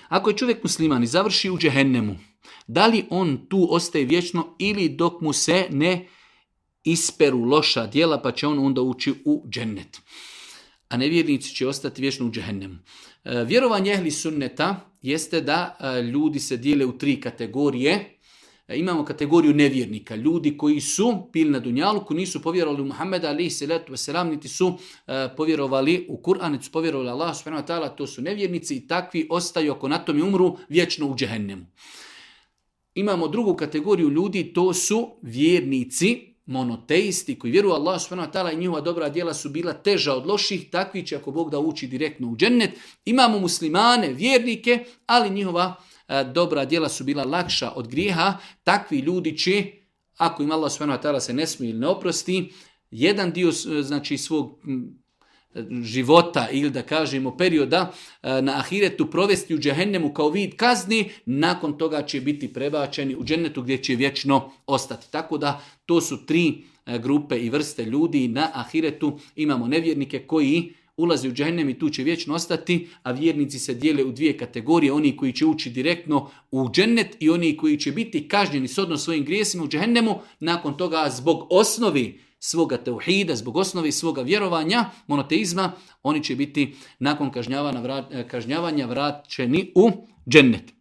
Ako je čovjek musliman i završi u džehennemu, da li on tu ostaje vječno ili dok mu se ne isperu loša djela pa će on onda ući u džennet? A nevjernici će ostati vječno u džehennemu. Vjerovanje ehli sunneta jeste da ljudi se dijele u 3 kategorije. Imamo kategoriju nevjernika, ljudi koji su bili na dunjaluku, nisu povjerovali u Muhammeda alejhi selatu vesselam, niti su povjerovali u Kur'an, niti su povjerovali Allah subhanahu wa ta'ala, to su nevjernici i takvi ostaju ako na tome umru vječno u džehennemu. Imamo drugu kategoriju ljudi, to su vjernici, monoteisti koji vjeruju Allah subhanahu wa ta'ala i njihova dobra djela su bila teža od loših, takvi će ako Bog da ući direktno u džennet. Imamo muslimane, vjernike, ali njihova dobra djela su bila lakša od grijeha. Takvi ljudi će, ako im Allah subhanahu wa ta'ala se ne smije ili ne oprosti, jedan dio znači svog života ili da kažemo perioda na ahiretu provesti u džehennemu kao vid kazni, nakon toga će biti prebačeni u džennetu gdje će vječno ostati. Tako da to su 3 grupe i vrste ljudi na ahiretu. Imamo nevjernike koji ulazi u džehennem i tu će vječno ostati, a vjernici se dijele u 2 kategorije, oni koji će ući direktno u džennet i oni koji će biti kažnjeni shodno svojim grijesima u džehennemu, nakon toga zbog osnovi svoga tauhida, zbog osnovi svoga vjerovanja, monoteizma, oni će biti nakon kažnjavanja vraćeni u džennet.